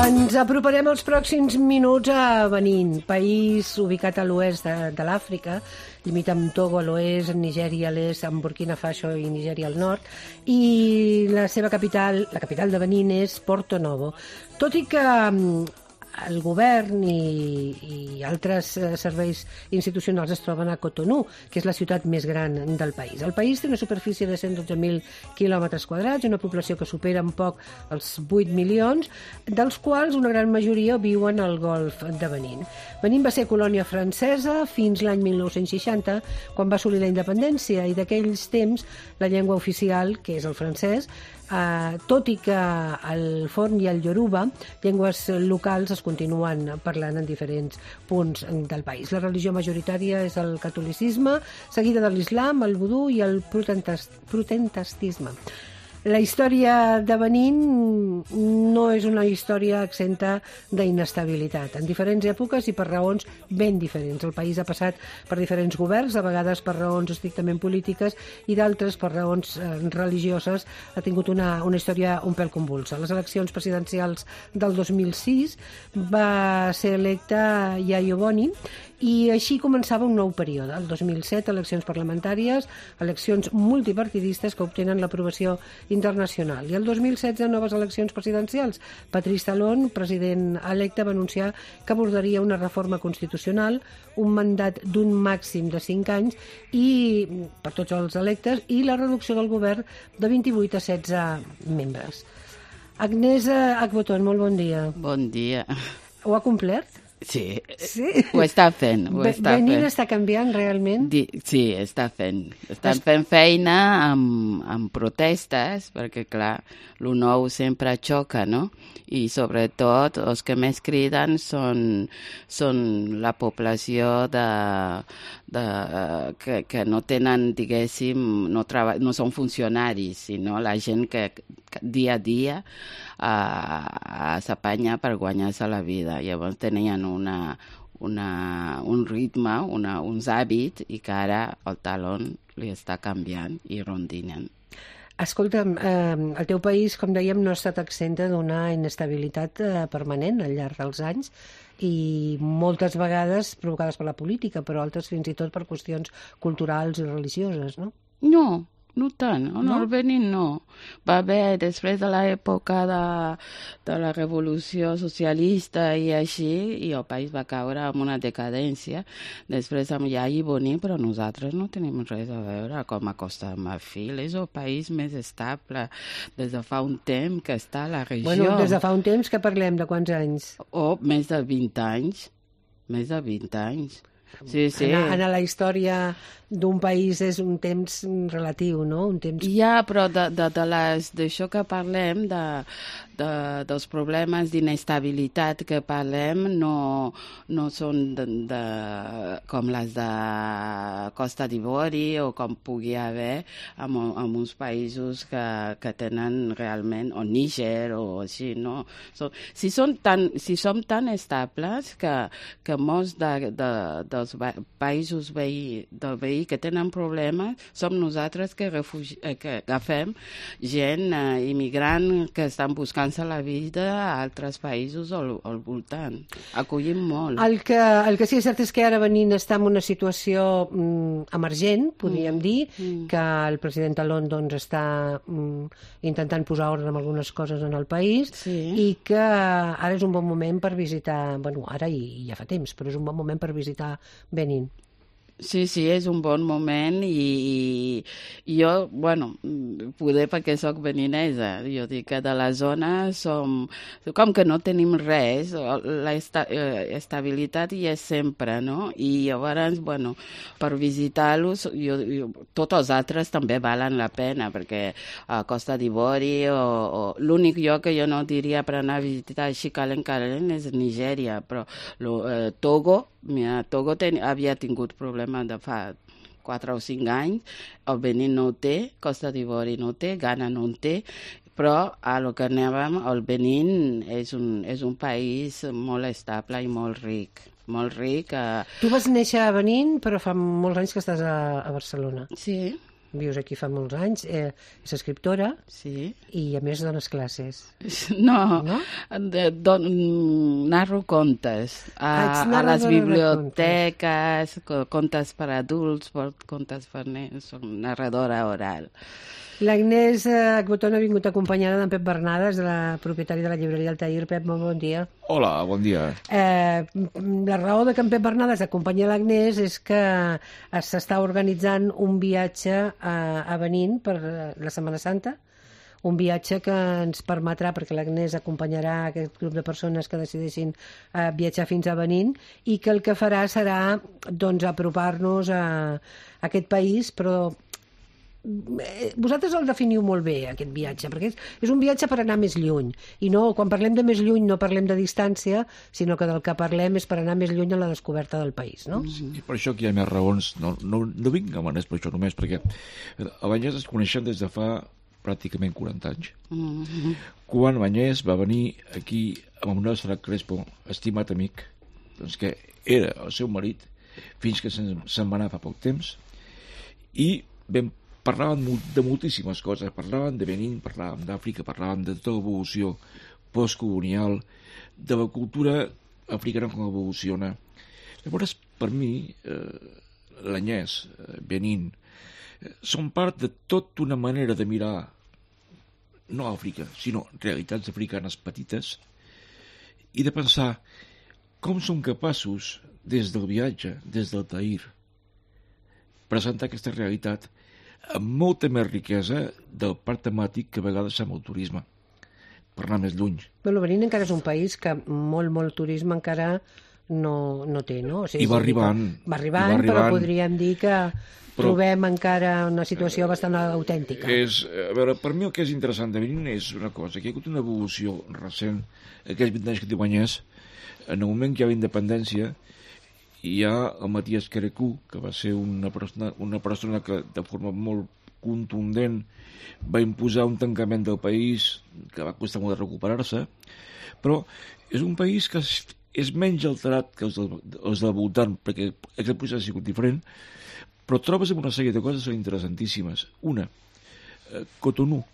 Ens aproparem els pròxims minuts a Benín, país ubicat a l'oest de l'Àfrica, limita amb Togo a l'oest, Nigèria a l'est, amb Burkina Faso i Nigèria al nord, i la seva capital, la capital de Benín, és Porto Novo. Tot i que el govern i altres serveis institucionals es troben a Cotonou, que és la ciutat més gran del país. El país té una superfície de 112.000 quilòmetres quadrats, una població que supera un poc els 8 milions, dels quals una gran majoria viuen al golf de Benín. Benín va ser colònia francesa fins l'any 1960, quan va assolir la independència, i d'aquells temps la llengua oficial, que és el francès, tot i que el forn i el ioruba, llengües locals, es continuen parlant en diferents punts del país. La religió majoritària és el catolicisme, seguida de l'islam, el vudú i el protestantisme. La història de Benín no és una història exenta d'inestabilitat. En diferents èpoques i per raons ben diferents. El país ha passat per diferents governs, a vegades per raons estrictament polítiques i d'altres per raons religioses. Ha tingut una història un pèl convulsa. A les eleccions presidencials del 2006 va ser electa Yayo Boni i així començava un nou període. El 2007, eleccions parlamentàries, eleccions multipartidistes que obtenen l'aprovació internacional. I el 2016, noves eleccions presidencials. Patrice Talon, president electe, va anunciar que abordaria una reforma constitucional, un mandat d'un màxim de 5 anys i per tots els electes, i la reducció del govern de 28 a 16 membres. Agnès Agboton, molt bon dia. Bon dia. Ho ha complert? Sí, sí, ho està fent. Benín està canviant realment? Sí, està fent. Estan fent feina amb protestes, perquè, clar, el nou sempre xoca, no? I, sobretot, els que més criden són la població que no tenen, diguéssim, no són funcionaris, sinó la gent que dia a dia s'apanya per guanyar-se la vida. Llavors tenien un ritme, uns hàbits, i que ara el Talon li està canviant i rondinen. Escolta'm, el teu país, com dèiem, no ha estat exenta d'una inestabilitat permanent al llarg dels anys i moltes vegades provocades per la política, però altres fins i tot per qüestions culturals i religioses, no? No tant, el Benín no. Va haver, després de l'època de la revolució socialista i així, i el país va caure en una decadència. Després amb Yayi Boni, però nosaltres no tenim res a veure com a Costa de Marfil. És el país més estable des de fa un temps que està a la regió. Bueno, des de fa un temps que parlem de quants anys? Més de 20 anys. Més de 20 anys. Sí. En la història d'un país és un temps relatiu, no? Un temps... Ja, però d'això que parlem, dels problemes d'inestabilitat que parlem, no són com les de Costa d'Ivori o com pugui haver en uns països que tenen realment, o Níger o així, no? Si som tan estables que molts dels països del veí que tenen problemes, som nosaltres que agafem gent immigrant que estan buscant-se la vida a altres països al voltant. Acollim molt. El que sí és cert és que ara Benín està en una situació emergent, podríem dir, que el president Talon està intentant posar ordre en algunes coses en el país, i que ara és un bon moment per visitar, bueno, ara i ja fa temps, però és un bon moment per visitar Benín. Sí, és un bon moment i jo, bueno, poder perquè soc beninesa, jo dic que de la zona com que no tenim res, la estabilitat hi és sempre, no? I llavors, bueno, per visitar-los, tots els altres també valen la pena, perquè a Costa d'Ivori o l'únic lloc que jo no diria per anar a visitar així calent és Nigèria, però Togo havia tingut problemes de fa 4 o 5 anys. El Benín no ho té, Costa d'Ivori no ho té, Ghana no ho té, però a lo que anàvem, el Benín és un país molt estable i molt ric. Molt ric. Tu vas néixer a Benín, però fa molts anys que estàs a Barcelona. Sí. Vius aquí fa molts anys, és escriptora, sí. I a més dones classes. No? Narro contes a les biblioteques, contes per adults, contes per nens, soc narradora oral. L'Agnès Agbotón ha vingut acompanyada d'en Pep Bernades, de la propietària de la llibreria Altair. Pep, molt bon dia. Hola, bon dia. La raó de que en Pep Bernades acompanyi l'Agnès és que s'està organitzant un viatge a Benín per la Setmana Santa, un viatge que ens permetrà, perquè l'Agnès acompanyarà aquest grup de persones que decideixin viatjar fins a Benín, i que el que farà serà doncs, apropar-nos a aquest país, però vosaltres el definiu molt bé, aquest viatge, perquè és un viatge per anar més lluny, i no, quan parlem de més lluny no parlem de distància, sinó que del que parlem és per anar més lluny en la descoberta del país, no? Sí, i per això que hi ha més raons. No vinc a Manès per això només, perquè a Banyès es coneixen des de fa pràcticament 40 anys. Quan Banyès va venir aquí amb Manuel Serrat Crespo, estimat amic, doncs que era el seu marit, fins que se'n va anar fa poc temps, i parlaven de moltíssimes coses, parlaven de Benín, parlaven d'Àfrica, parlaven de tota l'evolució postcolonial, de la cultura africana com evoluciona. Llavors, per mi, l'Agnès, Benín, són part de tota una manera de mirar, no Àfrica, sinó realitats africanes petites, i de pensar com som capaços, des del viatge, des del Tahir, presentar aquesta realitat amb molta més riquesa del parc temàtic que a vegades sembla el turisme, per anar més lluny. Bueno, Benín encara és un país que molt turisme encara no té, no? O sigui, I va arribant. Va arribant, però podríem dir que trobem encara una situació bastant autèntica. A veure, per mi el que és interessant de Benín és una cosa, que hi ha hagut una evolució recent, aquells 20 anys que té Banyès, en el moment que hi ha la independència, hi ha el Matías Querecú, que va ser una persona que de forma molt contundent va imposar un tancament del país que va costar molt de recuperar-se, però és un país que és menys alterat que els del voltant, perquè aquest procés ha sigut diferent, però trobes una sèrie de coses interessantíssimes. Una, Cotonou.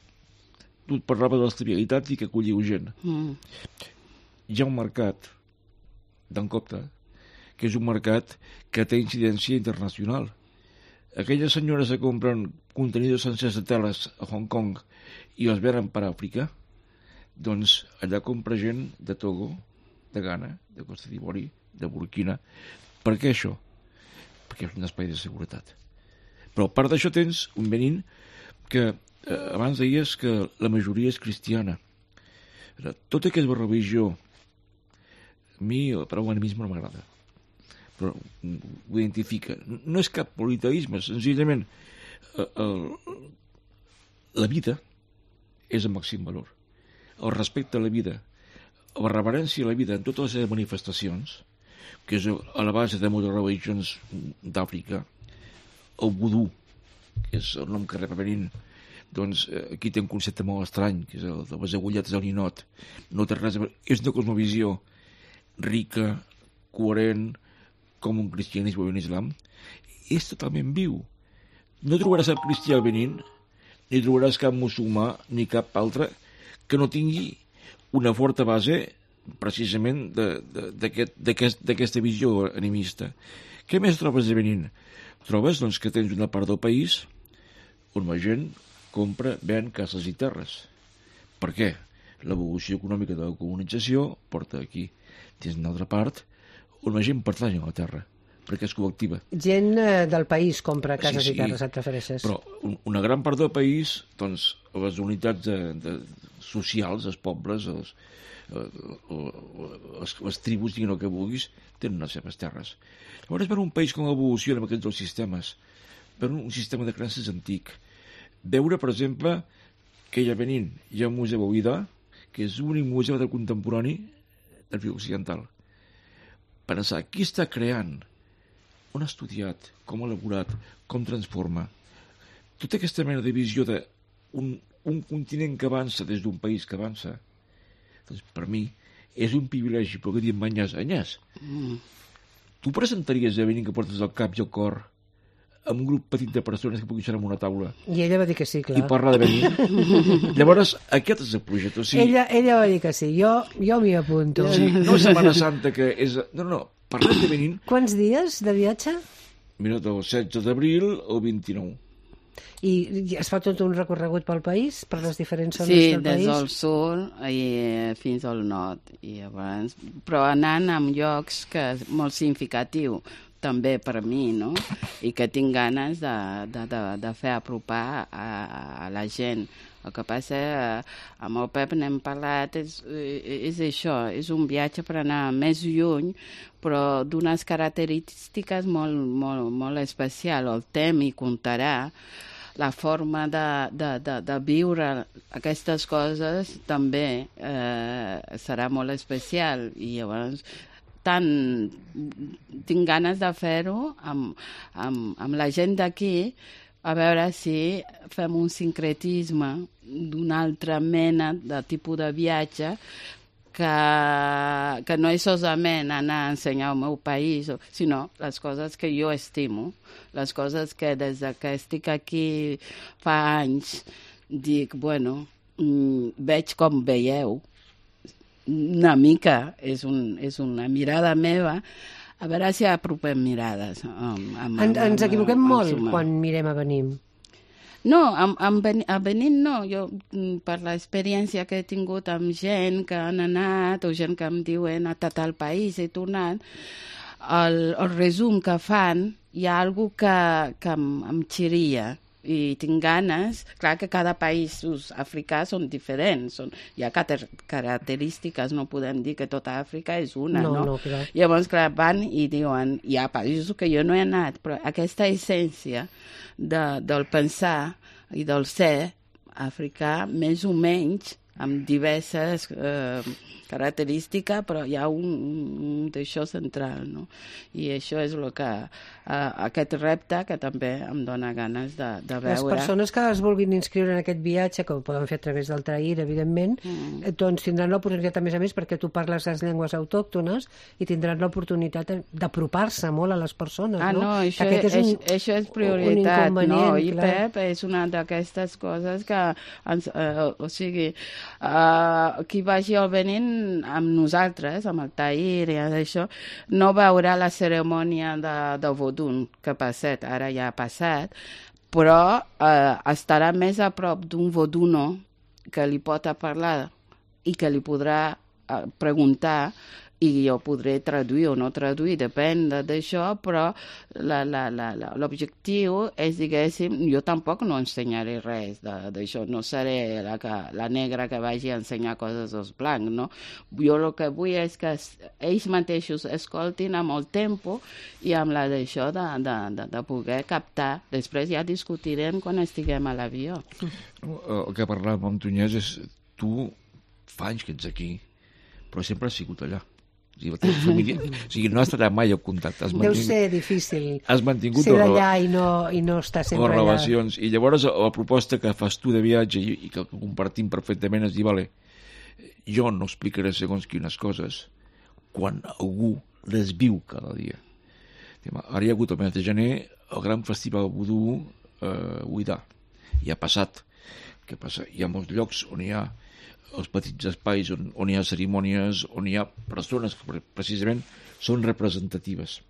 Tu et parlava de l'estabilitat i que acolliu gent. Hi ha un mercat d'en Copta, que és un mercat que té incidència internacional. Aquelles senyores que compren contenidors sencers de teles a Hong Kong i els venen per Àfrica, doncs allà compra gent de Togo, de Ghana, de Costa d'Ivori, de Burkina. Per què això? Perquè és un espai de seguretat. Però a part d'això tens un Benín que abans deies que la majoria és cristiana. Tota aquesta religió, a mi la paraula animisme no m'agrada, però ho identifica. No és cap politeisme, senzillament la vida és el màxim valor. El respecte a la vida, la reverència a la vida en totes les seves manifestacions, que és a la base de moltes religions d'Àfrica, el vudú, que és el nom que rep a Benín, doncs aquí té un concepte molt estrany, que és el de les agulletes del ninot. No té res a veure. És una cosmovisió rica, coherent, com un cristianisme o un islam, és totalment viu. No trobaràs cap cristià al Benín, ni trobaràs cap musulmà, ni cap altre, que no tingui una forta base precisament d'aquesta visió animista. Què més trobes a Benín? Trobes doncs, que tens una part del país on la gent compra, ven cases i terres. Per què? L'evolució econòmica de la colonització porta aquí. Tens una altra part on la gent pertany a la terra, perquè és col·lectiva. Gent del país compra cases i terres, et refereixes? Però una gran part del país, doncs, les unitats socials, els pobles, les tribus, diguin el que vulguis, tenen les seves terres. Llavors, per un país com evoluciona amb aquests dos sistemes, per un sistema de creences antic, veure, per exemple, que hi ha Benín, hi ha un museu a Ouida, que és l'únic museu de contemporani d'Àfrica Occidental. Pensar, qui està creant on ha estudiat, com ha elaborat, com transforma. Tota aquesta mena de visió d'un continent que avança des d'un país que avança, doncs per mi és un privilegi poder dir Agnès, tu presentaries a Benín que portes el cap i el cor amb un grup petit de persones que puguin ser en una taula I ella va dir que sí, clar. i parlar de Benín? Llavors, aquest és el projecte. O sigui, ella va dir que sí, jo m'hi apunto. sí, no Setmana Santa, que és... No, parlem de Benín. Quants dies de viatge? Mira, del 16 d'abril al 29. I es fa tot un recorregut pel país, per les diferents zones Sí, del país? des del sud fins al nord. I abans, però anant a llocs que és molt significatiu també per mi, no? I que tinc ganes de fer apropar a la gent. El que passa, amb el Pep n'hem parlat, és això, és un viatge per anar més lluny, però d'unes característiques molt especials. El temps hi comptarà, la forma de viure aquestes coses també serà molt especial. I llavors tinc ganes de fer-ho amb la gent d'aquí, a veure si fem un sincretisme d'una altra mena de tipus de viatge que no és solament anar a ensenyar el meu país, sinó les coses que jo estimo, les coses que des que estic aquí fa anys dic, bueno, veig com veieu, una mica, és una mirada meva, a veure si apropem mirades. Ens equivoquem molt quan mirem a Benín. No, a Benín no. Jo, per l'experiència que he tingut amb gent que han anat, o gent que em diu he anat a tal país, he tornat, el resum que fan, hi ha alguna que em xiria. I tinc ganes, clar que cada país africà són diferents, hi ha característiques, no podem dir que tota Àfrica és una, no? No, clar. Llavors, clar, van i diuen, hi ha països que jo no he anat, però aquesta essència del pensar i del ser africà, més o menys, amb diverses característiques, però hi ha un d'això central, no? I això és el que aquest repte que també em dona ganes de veure. Les persones que es vulguin inscriure en aquest viatge, que ho poden fer a través del Trair, evidentment, doncs tindran l'oportunitat, a més, perquè tu parles les llengües autòctones i tindran l'oportunitat d'apropar-se molt a les persones, no? No, això és prioritat, no? I Pep és una d'aquestes coses que, o sigui, qui vagi al Benín amb nosaltres, amb el Tahir i això, no veurà la cerimònia de Vodun que ha passat, ara ja ha passat, però estarà més a prop d'un voduno que li pot parlar i que li podrà preguntar i jo podré traduir o no traduir, depèn d'això, però l'objectiu és, diguéssim, jo tampoc no ensenyaré res d'això, no seré la negra que vagi a ensenyar coses als blancs, no? Jo el que vull és que ells mateixos escoltin amb el tempo i amb la d'això de poder captar. Després ja discutirem quan estiguem a l'avió. El que parlàvem amb Agnès és tu fa anys que ets aquí, però sempre has sigut allà. O sigui, no has estat mai en contacte. Deu ser difícil has mantingut ser d'allà i no estar sempre allà. Relacions. I llavors la proposta que fas tu de viatge i que compartim perfectament és dir, vale, jo no explicaré segons quines coses quan algú les viu cada dia. Ara hi ha hagut el mes de gener el gran festival vudú Uidà. I ha passat. Què passa? Hi ha molts llocs on hi ha els petits espais on hi ha cerimònies, on hi ha persones que precisament són representatives.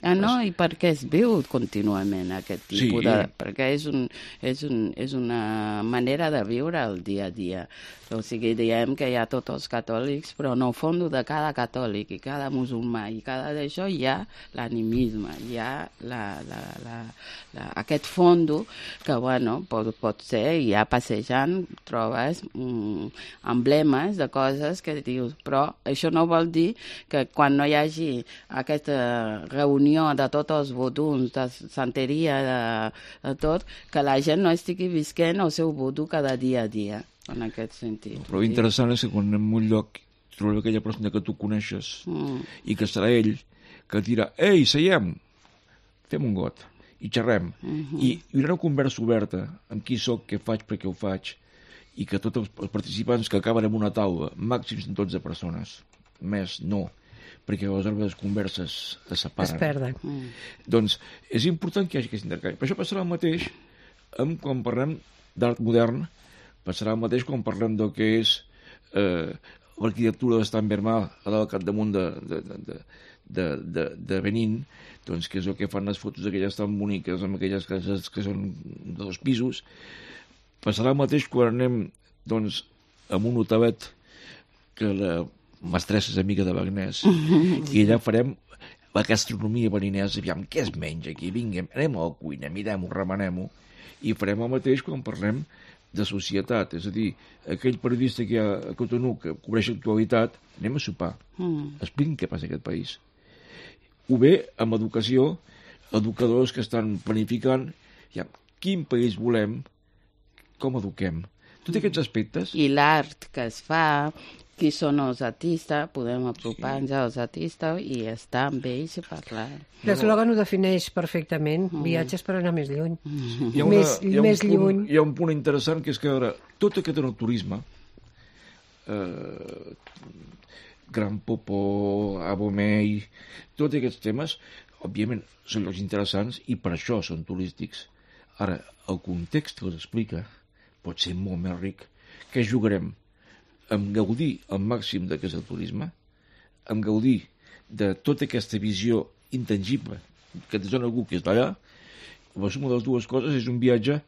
No, i perquè es viu contínuament aquest tipus de... Perquè és una manera de viure el dia a dia. O sigui, diem que hi ha tots els catòlics, però en el fons de cada catòlic i cada musulmà i cada d'això hi ha l'animisme, hi ha aquest fons que, bueno, pot ser, i ja passejant trobes emblemes de coses que dius, però això no vol dir que quan no hi hagi aquesta reunió de tots els voduns, de santeria, de tot, que la gent no estigui visquent el seu vodú cada dia a dia, en aquest sentit. Però interessant és que quan en un lloc trobem aquella persona que tu coneixes i que serà ell que et dirà, ei, seiem, fem un got i xerrem. I hi haurà una conversa oberta amb qui soc, què faig, per què ho faig, i que tots els participants que acaben en una taula, màxims de 12 persones, més no, perquè aleshores les converses es separen. Es perden. Doncs és important que hi hagi aquest intercanvi. Per això passarà el mateix quan parlem d'art modern, passarà el mateix quan parlem del que és l'arquitectura d'Estan Bermà al capdamunt de Benín, doncs, que és el que fan les fotos aquelles tan boniques amb aquelles cases que són de 2 pisos. Passarà el mateix quan anem doncs, amb un hotelet que la mestressa és amiga de Bagnès i allà farem la gastronomia beninesa, aviam, què es menja aquí? Vinga, anem a la cuina, mirem-ho, remenem-ho, i farem el mateix quan parlem de societat, és a dir, aquell periodista que hi ha a Cotonou que cobreix l'actualitat, anem a sopar, expliquin què passa a aquest país. O bé, amb educació, educadors que estan planificant ja, quin país volem, com eduquem. Tots aquests aspectes... I l'art que es fa, qui són els artistes, podem apropar-nos als artistes i estar amb ells i parlar. L'eslògan ho defineix perfectament, viatges per anar més lluny. Més lluny. Hi ha un punt interessant que és que ara, tot aquest turisme, Gran Popó, Abomey, tots aquests temes, òbviament, són llocs interessants i per això són turístics. Ara, el context que els explica pot ser molt més ric. Què jugarem? Amb gaudir al màxim del que és el turisme, amb gaudir de tota aquesta visió intangible que et dona algú que és d'allà, la suma de les dues coses és un viatge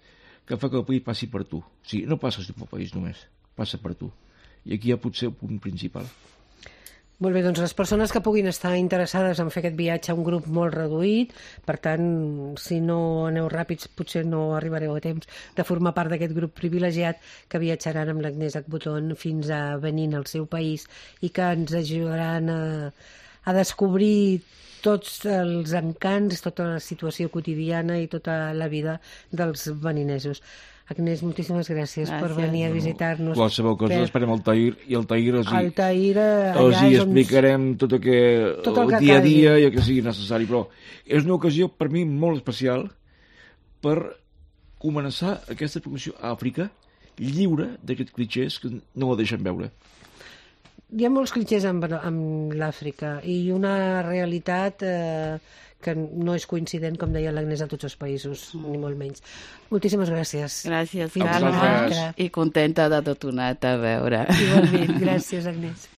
que fa que el país passi per tu. O sigui, no passes pel país només, passa per tu. I aquí hi ha potser el punt principal. Molt bé, doncs les persones que puguin estar interessades en fer aquest viatge a un grup molt reduït, per tant, si no aneu ràpids, potser no arribareu a temps de formar part d'aquest grup privilegiat que viatjaran amb l'Agnès Agboton fins a Benín, al seu país, i que ens ajudaran a descobrir tots els encants, tota la situació quotidiana i tota la vida dels beninesos. Agnès, moltíssimes gràcies per venir a visitar-nos. Qualsevol cosa, esperem el Tahir, i el Tahir els hi explicarem tot el dia a dia i el que sigui necessari, però és una ocasió per mi molt especial per començar aquesta promoció a Àfrica lliure d'aquests clitxers que no la deixen veure. Hi ha molts clitxers amb l'Àfrica i una realitat que no és coincident, com deia l'Agnès, a tots els països, ni molt menys. Moltíssimes gràcies. Gràcies, Carme, i contenta de tornar-te a veure. Igualment, gràcies, Agnès.